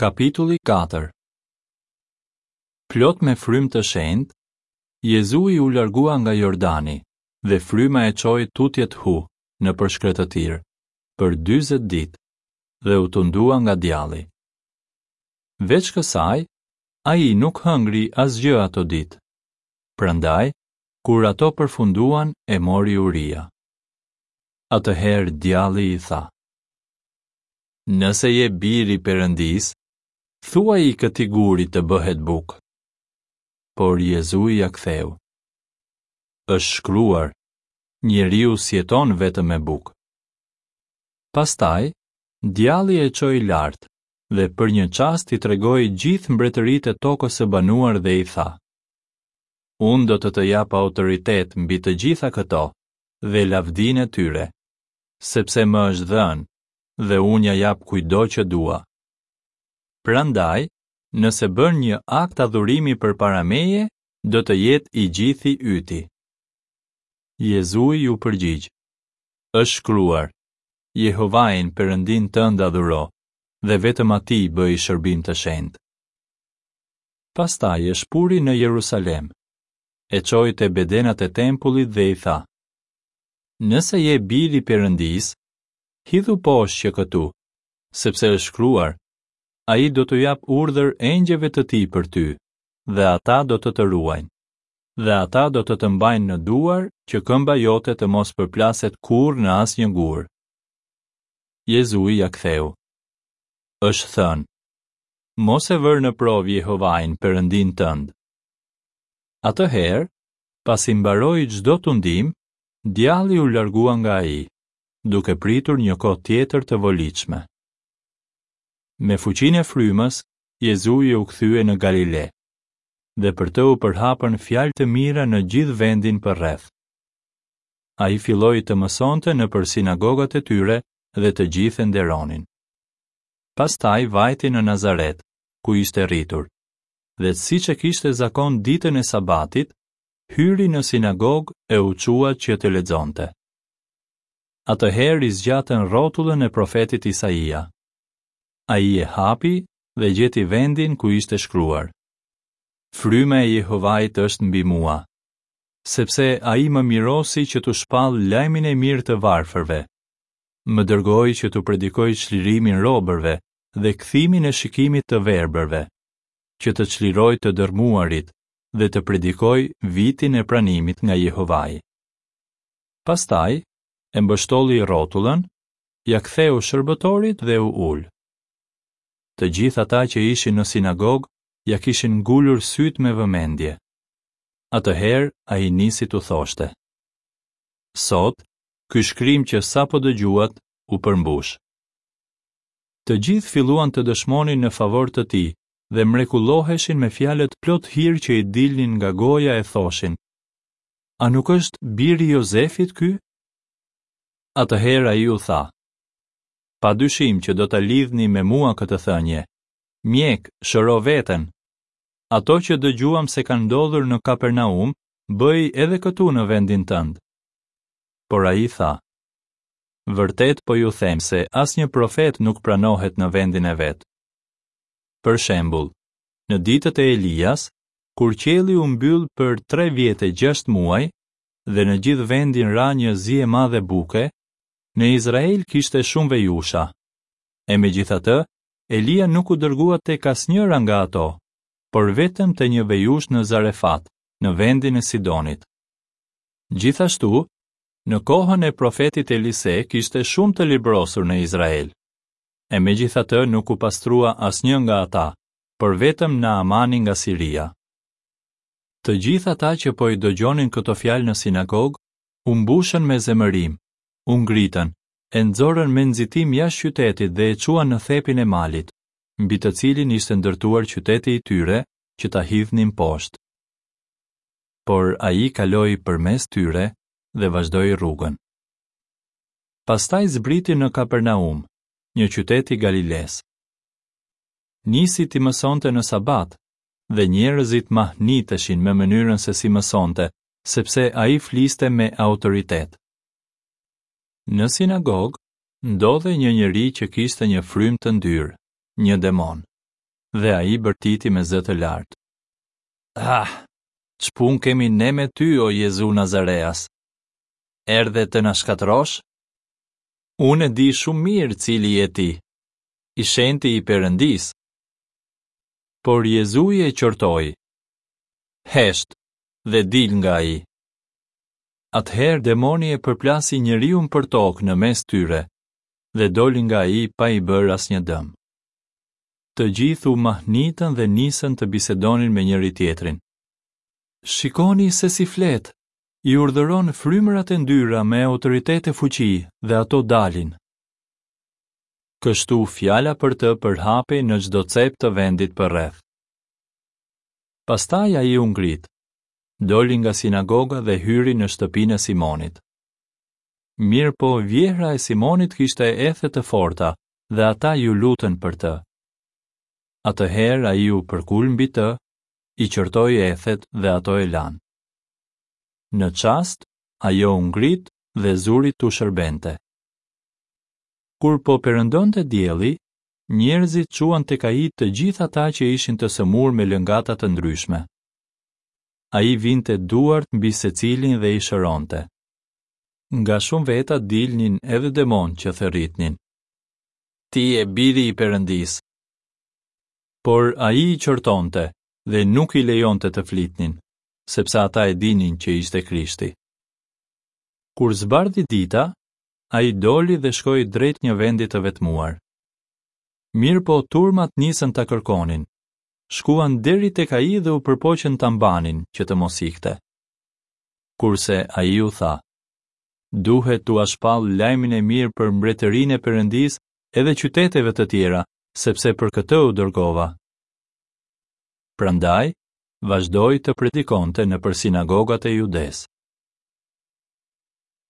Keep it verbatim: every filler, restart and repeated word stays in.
Kapitulli katër. Plot me frymë të shenjtë, Jezui u largua nga Jordani dhe fryma e çoi tutje-thu nëpër shkretëtirë për dyzet ditë dhe u tundua nga djalli. Veç kësaj, ai nuk hëngri asgjë ato ditë. Prandaj, kur ato përfunduan, e mori uria. Atëherë djalli i tha: Nëse je bir i Perëndisë, thuaji këtij guri të bëhet bukë. Por Jezui ia ktheu: Është shkruar, njeriu s'jeton vetëm me bukë. Pastaj, djalli e çoi lart dhe për një çast i tregoi gjithë mbretëritë e tokës së banuar dhe i tha: Unë do të të jap autoritet mbi të gjitha këto dhe lavdinë e tyre, sepse më është dhënë dhe unë ja jap kujtdo që dua. Prandaj, nëse bën një akt adhurimi përpara meje, do të jetë i gjithi yti. Jezui u përgjigj: Është shkruar, Jehovain Perëndin tënd adhuro dhe vetëm atij bëj shërbim të shenjtë. Pastaj e shpuri në Jerusalem, e çoi te bedenat e tempullit dhe i tha: Nëse je bir i Perëndisë, hidhu poshtë që këtu, sepse është shkruar, ai do t'u jap urdhër engjëjve të tij për ty, dhe ata do të të ruajnë, dhe ata do të të mbajnë në duar që këmba jote të mos përplaset kurrë në asnjë gur. Jezui ia ktheu: Është thënë, mos e vër në provë Jehovain, Perëndin tënd. Atëherë, pasi mbaroi çdo tundim, djalli u largua nga ai, duke pritur një kohë tjetër të volitshme. Me fuqinë e frymës, Jezui u kthye në Galile, dhe për të u përhapën fjalë të mira në gjithë vendin përreth. Ai filloi të mësonte nëpër sinagogat e tyre dhe të gjithë e nderonin. Pastaj vajti në Nazaret, ku ishte rritur, dhe siç e kishte zakon ditën e Sabatit, hyri në sinagogë e u çua që të lexonte. Atëherë i zgjatën rrotullën e profetit Isaia. Ai e hapi dhe gjeti vendin ku ishte shkruar: Fryma e Jehovait është mbi mua, sepse ai më mirosi që t'u shpall lajmin e mirë të varfërve. Më dërgoi që t'u predikoj çlirimin robërve dhe kthimin e shikimit të verbërve, që të çliroj të dërmuarit dhe të predikoj vitin e pranimit nga Jehovai. Pastaj e mbështolli rrotullën, ia ktheu shërbëtorit dhe u ul. Të gjithë ata që ishin në sinagogë ia kishin ngulur sytë me vëmendje. Atëherë ai nisi t'u thoshte: Sot, ky shkrim që sapo dëgjuat u përmbush. Të gjithë filluan të dëshmonin në favor të tij dhe mrekulloheshin me fjalët plot hir që i dilnin nga goja e thoshin: A nuk është biri i Jozefit ky? Atëherë ai u tha: Pa dyshim që do ta lidhni me mua këtë thënie: Mjek, shëro veten. Ato që dëgjuam se kanë ndodhur në Kapernaum, bëj edhe këtu në vendin tënd. Por ai tha: Vërtet po ju them se asnjë profet nuk pranohet në vendin e vet. Për shembull, në ditët e Elias, kur qielli u mbyll për tre vjet e gjashtë muaj dhe në gjithë vendin ra një zi e madhe buke, në Izrael kishte shumë vejusha. E megjithatë, Elia nuk u dërgua tek asnjëra nga ato, por vetëm te një vejush në Zarefat, në vendin e Sidonit. Gjithashtu, në kohën e profetit Elise kishte shumë të librosur në Izrael. E megjithatë nuk u pastrua asnjë nga ata, por vetëm Naamani nga Siria. Të gjithë ata që po i dëgjonin këto fjalë në sinagogë u mbushën me zemërim, u ngritën, e nxorën me nxitim jashtë qytetit dhe e çuan në thepin e malit, mbi të cilin ishte ndërtuar qyteti i tyre, që ta hidhnin poshtë. Por ai kaloi përmes tyre dhe vazhdoi rrugën. Pastaj zbriti në Kapernaum, një qytet i Galiles. Nisi t'i mësonte në Sabat, dhe njerëzit mahniteshin me mënyrën se si mësonte, sepse ai fliste me autoritet. Në sinagogë ndodhej një njeri që kishte një frymë të ndyrë, një demon. Dhe ai bërtiti me zë të lartë: "Ah, ç'punë kemi ne me ty, o Jezu Nazareas? Erdhe të na shkatërrosh? Unë e di shumë mirë cili je ti, i shenjti i Perëndisë." Por Jezui e qortoi: "Hesht dhe dil nga ai." Atëherë demoni e përplasi njeriun për tokë në mes tyre dhe doli nga ai pa i bërë asnjë dëm. Të gjithë u mahnitën dhe nisën të bisedonin me njëri tjetrin. "Shikoni se si flet, i urdhëron frymërat e ndyra me autoritet e fuqi dhe ato dalin." Kështu fjala për të përhapej në çdo cep të vendit përreth. Pastaj ai u ngrit, doli nga sinagoga dhe hyri në shtëpinë e Simonit. Mirëpo vjehra e Simonit kishte ethe të forta dhe ata ju lutën për të. Atëherë ai u përkul mbi të, i qortoi ethet dhe ato e lanë. Në çast, ajo u ngrit dhe zuri t'u shërbente. Kur po perëndonte dielli, njerëzit çuan tek ai të gjithë ata që ishin të sëmurë me lëngata të ndryshme. Ai vinte duart mbi secilin dhe i shëronte. Nga shumë veta dilnin edhe demonë që thërritnin: "Ti je biri i Perëndisë." Por ai i qortonte dhe nuk i lejonte të flitnin, sepse ata e dinin që ishte Krishti. Kur zbardhi dita, ai doli dhe shkoi drejt një vendi të vetmuar. Mirëpo turmat nisën ta kërkonin. Shkuan deri tek ai dhe u përpoqën ta mbanin që të mos ikte. Kurse ai u tha: "Duhet t'ua shpall lajmin e mirë për mbretërinë e Perëndisë edhe qyteteve të tjera, sepse për këtë u dërgova." Prandaj vazhdoi të predikonte nëpër sinagogat e Judesë.